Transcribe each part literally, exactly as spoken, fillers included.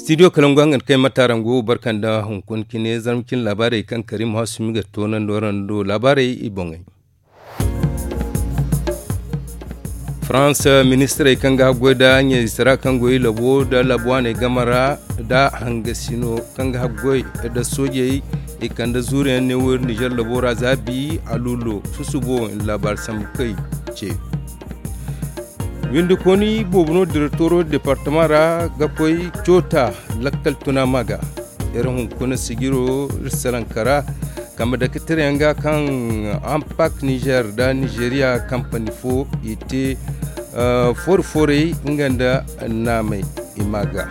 Studio kalangu hangan kay matarango barkanda hunkuna cine zarma cine laabaarey kaŋ karim hasumi ga toonandi warando laabaarey i boŋey. Farans ministirey kaŋ ga haggoy nda ɲayzitara kaŋ go i labo nda labo waaney game ra nda hangasino kaŋ ga haggoy nda soojey i kande zuuriyaŋ ne wo nizer labo ra za bi alulo susubo laabaari sambu kay ce. Windikooni boobo no direktoro departama ra ga koy coota lakkal tuna ma ga. Iri hunkuna sijiro iri salaŋ kara kambe dake tirayaŋ ga kaŋ ampak nizer nda nizeriya kampani fo i te foori-foorey nga nda naamey i ma ga.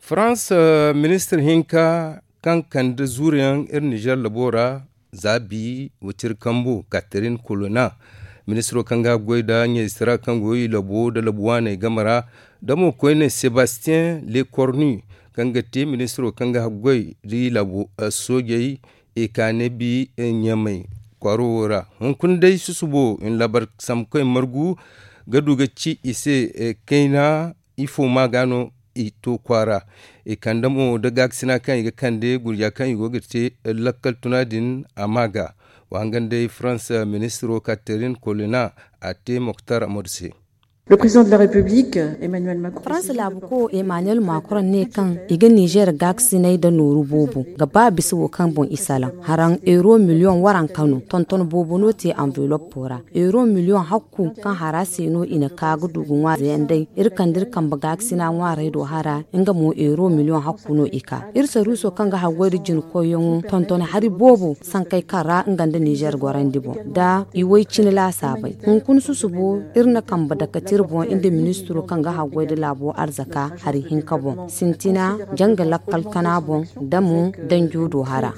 Farans ministir hinka kaŋ kande zuuriyaŋ iri nizer labo ra za bi waciri kambu katerin kolona ministiro kaŋ ga goy nda ɲayzitara kaŋ go i labo nda labo waaney game ra nda mo koyne sebastiyen lekorni kaŋ ga te ministiro kaŋ ga goy nda i labo soojey i ka ne bi ɲamey kwaaro wo ra hunkuna day susubo i na laabar sambukoy margu ga du ga ci i se kayna ifo ma ga no i to kwaara i kande mo nda gaakasina kaŋ i ga kande gurja kaŋ i go ga te lakkal tuna din a ma ga. Wa hangan day farans ministiro katerin kolina a te moktar amadu se. Le président de la république, emmanuel macron. Farans laabu ko emmanuel macron ne kaŋ i ga nizer gaakasinay nda nooru boobo ga ba bisa wo kaŋ boŋ i salaŋ haraŋ euro miliyoŋ waranka no tonton boobo no te anveloppo ra euro miliyoŋ hakku kaŋ hara se no i na ka ga du ga ŋwaazayaŋ day iri kande iri kambe gaakasina ŋwaarey do hara nga mo euro miliyoŋ hakku no i ka iri saruuso kaŋ ga haggoy nda jinkoyyaŋo tonton hari boobo sankey kaŋ ra nga nda nizer gorandi boŋ nda i way cine laasaabey hunkuna susubo iri na kambe dake tira boŋ nda ministiro kaŋ ga haggoy nda laabo arzaka hari hinka boŋ sintina janga lakkal kana boŋ nda mo danjo do hara.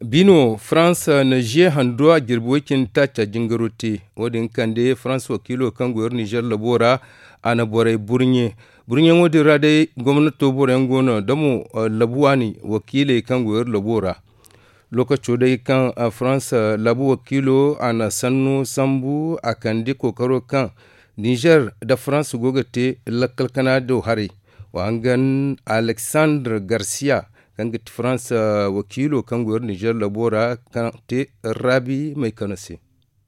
Bino farans na ziye hando a jirbi way cindi taaca jingaro te wo- din kande farans wakiilo kaŋ go iri nizer labo ra a na borey burɲe burɲeŋo din ra day gomnato boroyaŋ go no da mo labu waani wakiiley kaŋ go iri labo ra lookaco day kaŋ farans labu wakiilo a na sanno sambu a kande kookaro kaŋ nizer nda farans go ga te lakkal kana do haray wa hangan alexandre garcia kaŋ ga ti farans wakiilo kaŋ go iri nizer labo ra kaŋ te rabi may kano se.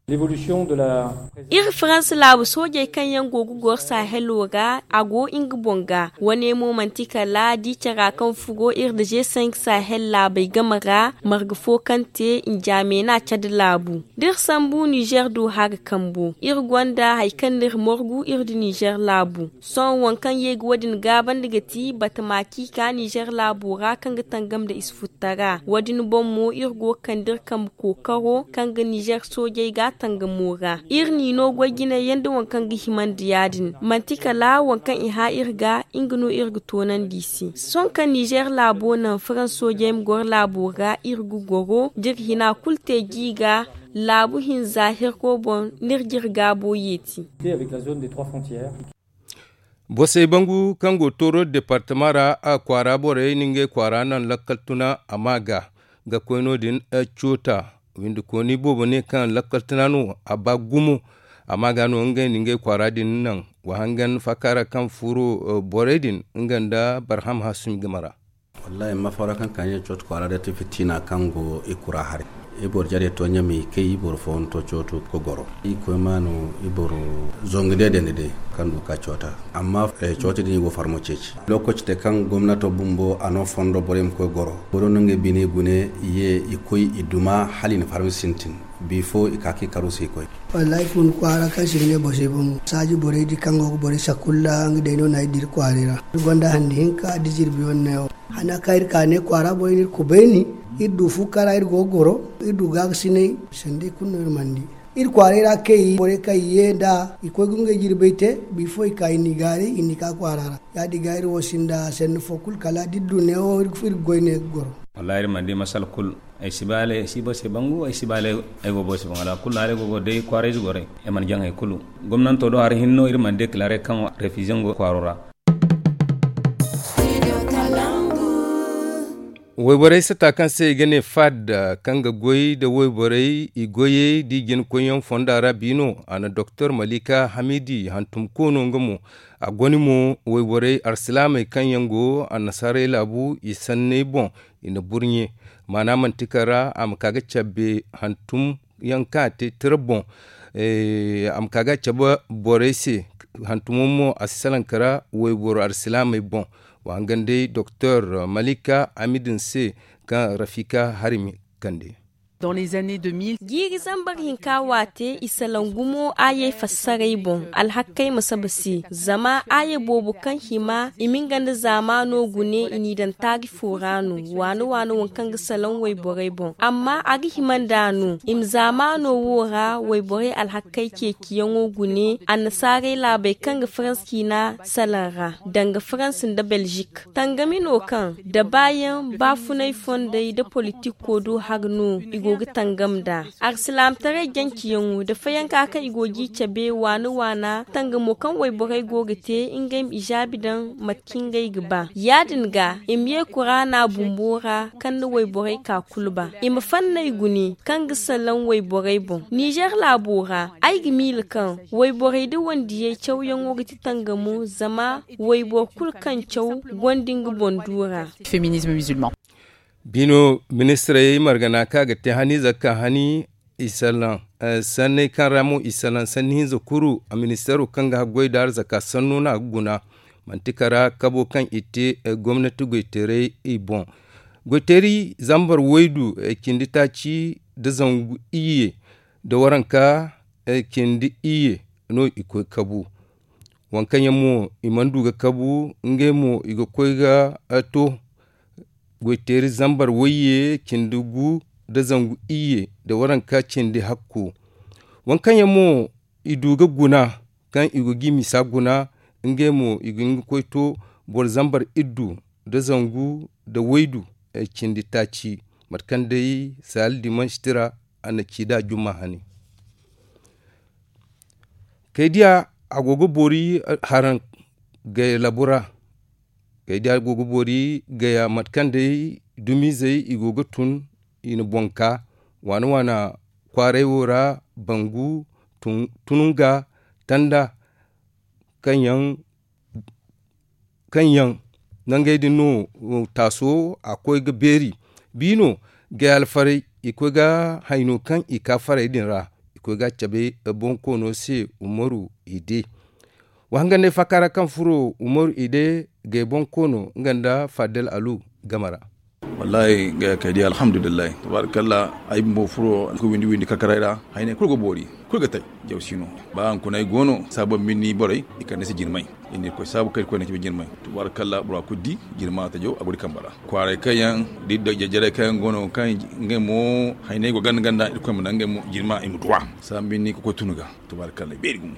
Iri farans laabu soojey kaŋ yaŋ go ga goro sahelo ra a go nga boŋ ga wane mo manti kala di cara kaŋ furo iri da g cinq sahel laabey game ra marga fo kaŋ te njaamena cadi laabu da iri sambu nizer do hara kambo iri gonda hari kaŋ no iri morgu iri da nizer laabu sohõ waŋ kaŋ ye ga wo- din gaabandi ga ti batama kaŋ i ka nizer laabo ra kaŋ ga tangam nda isi futtara wo- din boŋ mo iri go ga kande iri kambe kookaro kaŋ ga nizer soojey ga tangamo ra iri n'i no goy jinay yaŋ nda waŋ kaŋ ga himandi ya- din manti kala waŋ kaŋ i hã iri ga nga no iri ga toonandi i se sohõ kaŋ nizer laabo naŋ farans soojey ma goro laabo ra iri ga goro da iri hina kulu te ji ga laabu hinza herko boŋ n'iri jire gaabo yeeti. Bosey bangu kaŋ go tooro departama ra a kwaara borey na ngey kwaara naŋ lakkal tuna a ma ga ga koy no- din coota windikooni boobo ne kaŋ lakkal tuna no a ba gumo a ma ga no ngey na ngey kwaara din naŋ wa hangan fakaara kaŋ furo borey din nga nda barham hasumi game ra. Wallaahi ma fawra kaŋ ka ne cooto kwaara day ti fitina kaŋ go i kura haray. I boro jarey to ɲamey kay i boro fooyaŋ to cooto ga goro i koy ma no i boro zongu day dandi day kaŋ du ga ka coota amma cooto din i go farmo ceeci lookaci te kaŋ gomnato bumbo a no fondo borey ma koy goro boro no ngey bine gune i ye i koy i duma hala i na farmi sintin. Bifo i ka ka i karu se i koy. Wallaahi fun kwaara kaŋ se i ga ne boro se boŋ saaji borey di kaŋ go ga borey sakulla nga day no no ay dira kwaarey ra iri gonda handi hinka da jirbi wane neewo hana kaŋ iri ka ne kwaara borey no iri kubayni iri du fu kara iri go ga goro iri du gaakasinay sanda i kulu no iri mana di iri kwaarey ra kay borey kaŋ i ye nda i koy ga ngey jirbey te bifo i ka i n'i gaaray i n'i ka kwaara ra ya- din ga iri wo sinda sanni fo kulu kala da iri du neewo iri ga goy ne ga goro. Wallaahi iri mana di masala kulu. Ay si ba ale ay si boro se bangu ay si ba ale ay go boro se bangu alakulu no ale go go day kwaarayze gorey ay mana jaŋ hay kulu gomnanto do hari hinne no iri mana deklare kaŋ refize go kwaaro ra. Wayborey sata kaŋ se i ga ne fad, kaŋ ga goy nda wayborey i goyey da i jina koyyaŋ fonda ra biino, a na doktor malika hamidi hantum koono nga mo. A goni mo wayborey arsilaamey kaŋ yaŋ go annasaarey laabu i sanney boŋ, i na burɲe maana manti kaŋ ra a ma ka ga cabbe hantum yaŋ kaŋ a te tira boŋ. A ma ka ga a cabe borey se. Hantumo mo a si salaŋ kara wayboro arsilaamey boŋ. Wa hangan day doktor malika amidin se kaŋ rafika harimi kande. Jiiri zambar hinka waate i salaŋ gumo aayey fassaray boŋ alhakkey ma saba se. Zama aaya boobo kaŋ hima i ma nga nda zaamaano gune i n'i daŋ taari fo ra no. Waane waane waŋ kaŋ ga salaŋ wayborey boŋ amma a ga hima nd'a no i ma zaamaano wo ra wayborey alhakkey ceeciyaŋo gune annasaarey laabey kaŋ ga farans ciina salaŋ ra danga farans nda belzik. Tangami no kaŋ da baayaŋ baafunay fondey nda politikko do hari no i go ga tangam nd'a. Arsilaamataray janceyaŋo nda fayanka kaŋ i go ga i cabe waana waana tangamo kaŋ wayborey go ga te ngey ma ijaabi daŋ mate kaŋ ngey ga ba ya- din ga i ma ye kuraana bumbo ra kaŋ na wayborey ka kulu ba i ma fanney gune kaŋ ga salaŋ wayborey boŋ. Nizer laabo ra ay ga miila kaŋ wayborey nda wandiyey cawyaŋo ga ti tangamo zama wayboro kulu kaŋ caw gonda nga boŋ du ra. Biino ministirey margana kaŋ a ga te hani zakka hani i salaŋ sanney kaŋ ra mo i salaŋ sanni hinza kuru a ministeero kaŋ ga haggoy nda arzaka sanno no a ga guna. Manti kara kabo kaŋ i te gomnati goyteeray i boŋ. Goyteeri zambar waydu cindi taaci nda zangu iyye nda waranka cindi iyye no i koy kabu. Waŋ kaŋ yaŋ mo i mana du ga kabu ngey mo i ga koy ga to goyteeri zambar wayye cindi gu nda zangu iyye nda waranka cindi hakku. Waŋ kaŋ yaŋ mo i du ga guna kaŋ i go ga i misa guna ngey mo i ga hin ga koy to boro zambar iddu nda zangu nda waydu cindi taaci. Mate kaŋ day saali dimansi tira a na ci nd'a jumma hane. Kaydiya a go ga boori haraŋ gaya labu ra. Kaydiya go ga boori gaya mate kaŋ day dumiizey i go ga tun i na boŋ ka waana waana kwaaray wo ra bangu tununga tanda kaŋ yaŋ kaŋ yaŋ nangey din no taaso a koy ga beeri. Biino gay alfarey i koy ga hayno kaŋ i ka farey din ra i koy ga a cabe bonkoono se umaru ide. Wa hanga ne faaka ra kaŋ furo umaru ide gay bonkoono nga nda fadel alu game ra. Wallaahi gay kay di alhamdulillahi tabaarikalla. Ay bumbo furo ka windi windi kakaray ra hayney kulu ga boori kulu ga tay. Jaw si no ba hankunay go no saabon minni borey i kande se jirmay. Iri na irkoy saabu kaŋ irkoy na cabe jirmay. Tabaarikalla bora kulu di jirma ta jaw a go di kamba ra. Kwaaray kaŋ yaŋ da jajjaray kaŋ yaŋ go no kaŋ ngey mo hayney go ganda ganda irkoy ma naŋ ngey mo jirma i ma duwa. Saabu minni ka koy tunu ga tabaarikalla i beeri gumo.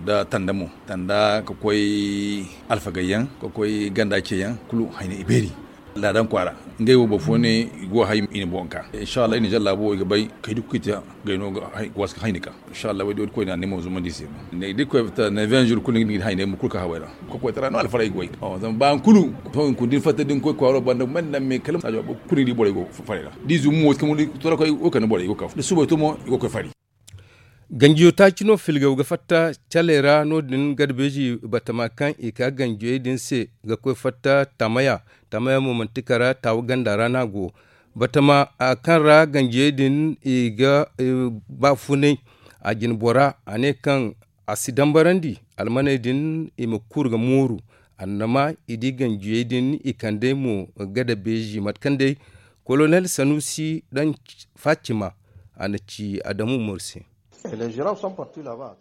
Da tanda mo tanda ka koy alfagay yaŋ ka koy ganda ce yaŋ kulu hayney i beeri. Laadan kwaara ngey wo boro fo ne i go hay i na boŋ ka inshallah i na jalla bo i ga bay kay duk kita gay no ga waska hayni ka inshallah way do koy na ne mo zuma di se. Ne di koy ta ne vingt jours kulu ni hay ne mo kulu ka hawai ra ko koy tara no alfaray goy zama ba kulu to in kun din fatta din koy kwaro banda man nan me kalam sajo kulu di boray go faray ra di zumu mo kamu di tora koy o kan boray go kaf da suba to mo go koy fari. Ganjiyo taaci no filgaw ga fatta caley ra no- din garbeeji batama kaŋ i ka ganjiyey din se ga koy fatta tamaya. Tamaya mo manti kara taawa ganda ra no a go. Batama kaŋ ra ganjiyey din i ga baafunay a jine bora a ne kaŋ a si dambarandi almaney din i ma kuru ga mooru. Annama i di ganjiyey din i kandey mo gada beeji mate kaŋ day kolonel sanusi daŋ facima a na ci adamu morse.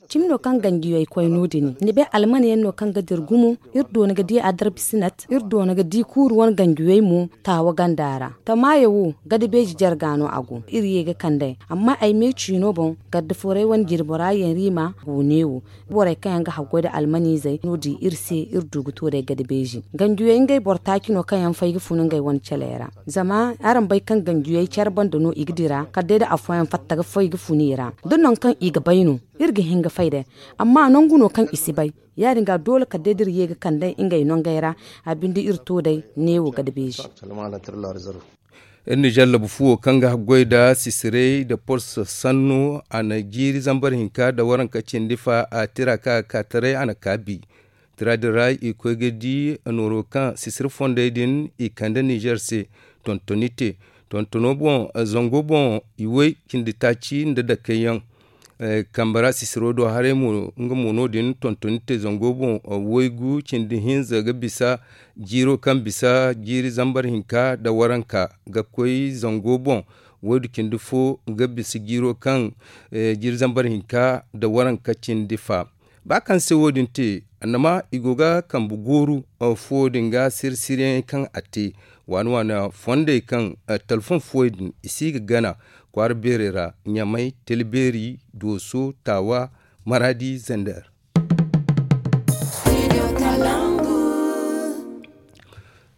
Cimi no kaŋ ganjiyey koy no- din ni bay almane yaŋ no kaŋ ga dira gumo. Iri doona ga di adarbisinat iri doona ga di kuuru wane ganjiyey mo taawa ganda ra. Tamaayo wo gada beeji jarga no a go iri ye ga kandey amma ay me ciino boŋ garda fooray wane jirbora yaŋ riima go neewo. Borey kaŋ yaŋ ga haggoy nda almaniizey no- din iri se iri du ga to day gada beeji ganjiyey ngey boro taaci no kaŋ yaŋ fay ga fun ngey wane caley ra. Zama araŋ bay kaŋ ganjiyey care banda no i ga dira kala day da afooyaŋ fatta ga fay ga fun i ra da nangu kaŋ i ga bay no iri ga hin ga fay day. Amma nangu no kaŋ i si bay ya- din ga doole kala day da iri ye ga kandey ngey nangey ra. A binde iri to day neewo gada beeji. Iri nizer labu fuwo kaŋ ga haggoy nda sisiray nda porso sanno a na jiiri zambar hinka nda waranka cindi fa a tira kaŋ a ga ka taray a na kaabi. Tira din ra i koy ga di nooro kaŋ sisiri fondey din i kande nizer se tontoni te. Tontono boŋ zango boŋ i way cindi taaci nda dakey yaŋ. Kambe ra sisiro do haray mo nga mo no- din tontoni te zango boŋ waygu cindi hinza ga bisa jiiro kaŋ bisa jiiri zambar hinka nda waranka ga koy zango boŋ waydu cindi fo ga bisa jiiro kaŋ jiiri zambar hinka nda waranka cindi fa. Ba kaŋ se wo- din te annama i go ga kambe gooru fo din ga siri siriyaŋ kaŋ a te waani waani fondey kaŋ talfon fuwey din i si ga gana kwaara beerey ra ɲamay, talbeeri, dooso, taawa, maraadi, zander.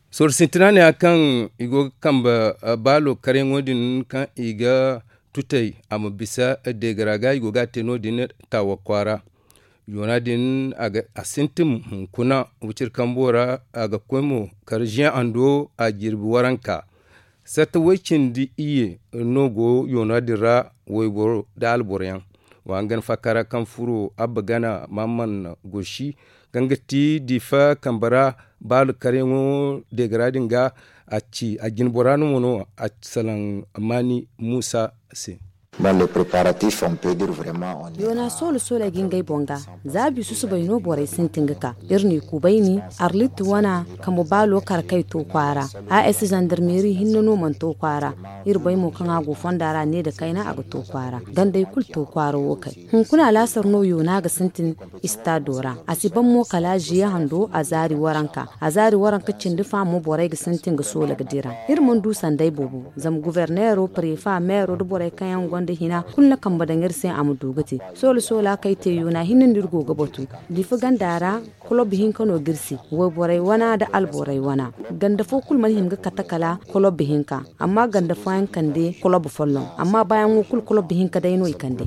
Sorro sintina ne ya kaŋ i go ga kambe baalo karyaŋo din kaŋ i ga tutay a ma bisa deegara ga i go ga a te no- din taawa kwaara. Yoona din a sintin hunkuna wiciri kambo ra a ga koy mo kar ziyaŋ hando a jirbi waranka. Sarta way cindi iyye no go yoona din ra wayboro nda alboro yaŋ. Wa hangan faaka ra kaŋ furo abba gana maamman gosi kaŋ ga ti diifa kambe ra baalu karyaŋo deegara din ga a ci a jinbora no mo no a salaŋ maani muusa se. Yoona soolo soolo ay ga ngey boŋ ga. Za biisu subay no borey sintin ga ka iri n'i kubayni arlit wana kambe baalo kar kay to kwaara. A s zandarmeeri hinne no mana to kwaara. Iri bay mo kaŋ a go fonda ra ne nda kayna a ga to kwaara gandey kulu to kwaara wo kay. Hunkuna alaasar no yoona ga sintin istado ra. A si ban mo kala ziye hando a zaari waranka a zaari waranka cindi fa mo borey ga sintin ga soola ga dira. Iri mana du sanday boobo zama guverneero pareefa meero nda borey kaŋ yaŋ gonda hina kulu na kambe daŋ iri se a ma du ga te. Soola soola kaŋ ay te yoona hinne no iri go ga batu. Diifa ganda ra kolob hinka no ga iri se. Wayborey wana nda alborey wana ganda fo kulu mana hima ga kate kala kolob hinka. Amma ganda fooyaŋ kande kolob folloŋ amma baayaŋo kulu kolob hinka day no i kande.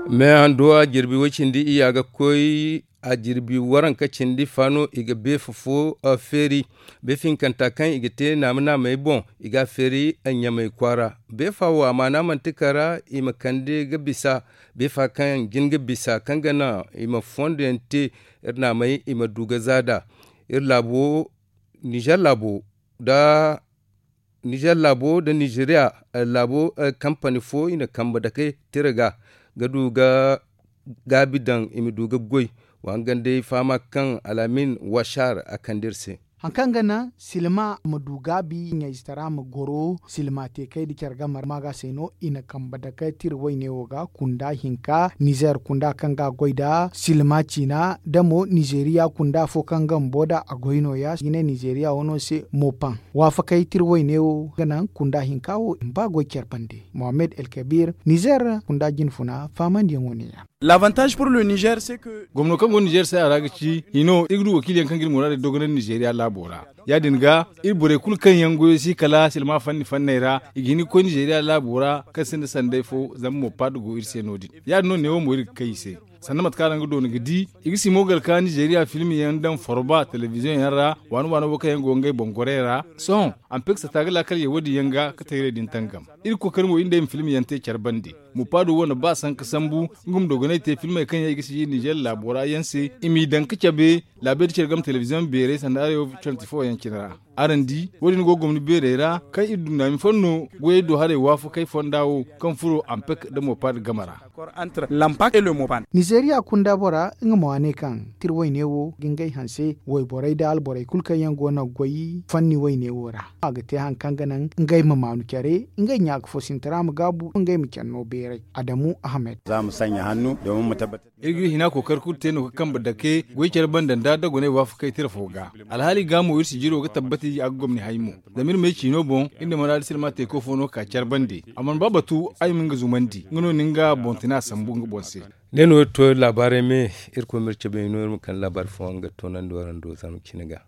Mais hando a jirbi way cindi iyya ga koy a jirbi waranka cindi fa no i ga beefa fo feeri. Beefa hinkanta kaŋ i ga te naama naamey boŋ i ga a feeri ɲamey kwaara. Beefa wo a maana manti kara i ma kande ga bisa. Beefa kaŋ jin ga bisa kaŋ ga naŋ i ma fondo yaŋ te iri naamey i ma du ga zaada. Iri laabo nizer laabo nda nizer laabo nda nizeriya laabo kampani fo i na kambe dake tira ga ga du ga gaabi daŋ i ma du ga goy. Wa hangan day fahama kaŋ al'amin washar a kande iri se. Hari kaŋ ga naŋ silma ma du gaabi ɲayzitara ma goro silma te kay nda care game ra ma ga se no i na kambe dake tira wayne wo ga kunda hinka nizer kunda kaŋ ga a goy nda silma ciina da mo nizeriya kunda fo kaŋ ga bumbo da a goy no- ya i ga ne nizeriya wano se mopan. Waafakey tira wayne wo ga naŋ kunda hinka wo i ma ba goy care bande mohammed el kabir nizer kunda jinfuna fahamandiyaŋo ne- ya. Gomno kaŋ go nizer se a ra ga ci hino iri ga du wakiili yaŋ kaŋ ga iri muraadey dogonandi nizeriya laabo ra. Ya- din ga iri borey kulu kaŋ yaŋ goyo si kala silma fanni fanney ra i ga hin ga koy nizeriya laabo ra kaŋ sinda sanday fo zama mo paada go iri se no- din. Ya- din no neewo mo iri ga kay i se sanda mate kaŋ araŋ ga doona ga di i ga simo gar ka nizeriya film yaŋ daŋ foroba telebiziyoŋ yaŋ ra waani waani wo kaŋ yaŋ go ngey boŋ gorey ra. Sohõ ampek sata ga laakal ye wo- din yaŋ ga ka tayrey din tangam. Iri ga kookari mo iri nd'ey ma film yaŋ te care bande. Mupaado wo na ba sanka sambu nga ma dogonay te filmey kaŋ yaŋ i ga si nizer laabo ra yaŋ se i m'i daŋ ga cabe laabey da care game telebiziyoŋ beerey sanda arayo twenty four yaŋ cine ra. Araŋ di wo- din go gomni beerey ra kaŋ iri du naami fo no goyey do haray waafakey fonda wo kaŋ furo ampek nda mopaad game ra. Nizeriya kunda bora nga ma waane kaŋ tira wayne wo ga ngey hanse wayborey da alborey kulu kaŋ yaŋ go no ga goy fanni wayne wo ra a ga te hari kaŋ ga naŋ ngey ma maanu care ngey ɲaaka fo sintina ma gaabu ngey ma care no beeray. Adamu ahmed. Iri ga iri hina kookari kulu te no ga kambe dake goy care banda nda dogonay waafakey tira fo ga. Alhaali ga mo iri sijiro ga tabbati a ga gomni hay mo. Zama iri may ciino boŋ iri na maraadi silma teeko fo no ka care bande a mana ba batu ay ma nga zumandi nga no na nga boŋ tuna sambu nga boŋ se. Ne no iri to laabaarey me. Iri koy ma iri cabe no iri ma kande laabaari fooyaŋ ga toonandi waraŋ do zarma cine ga.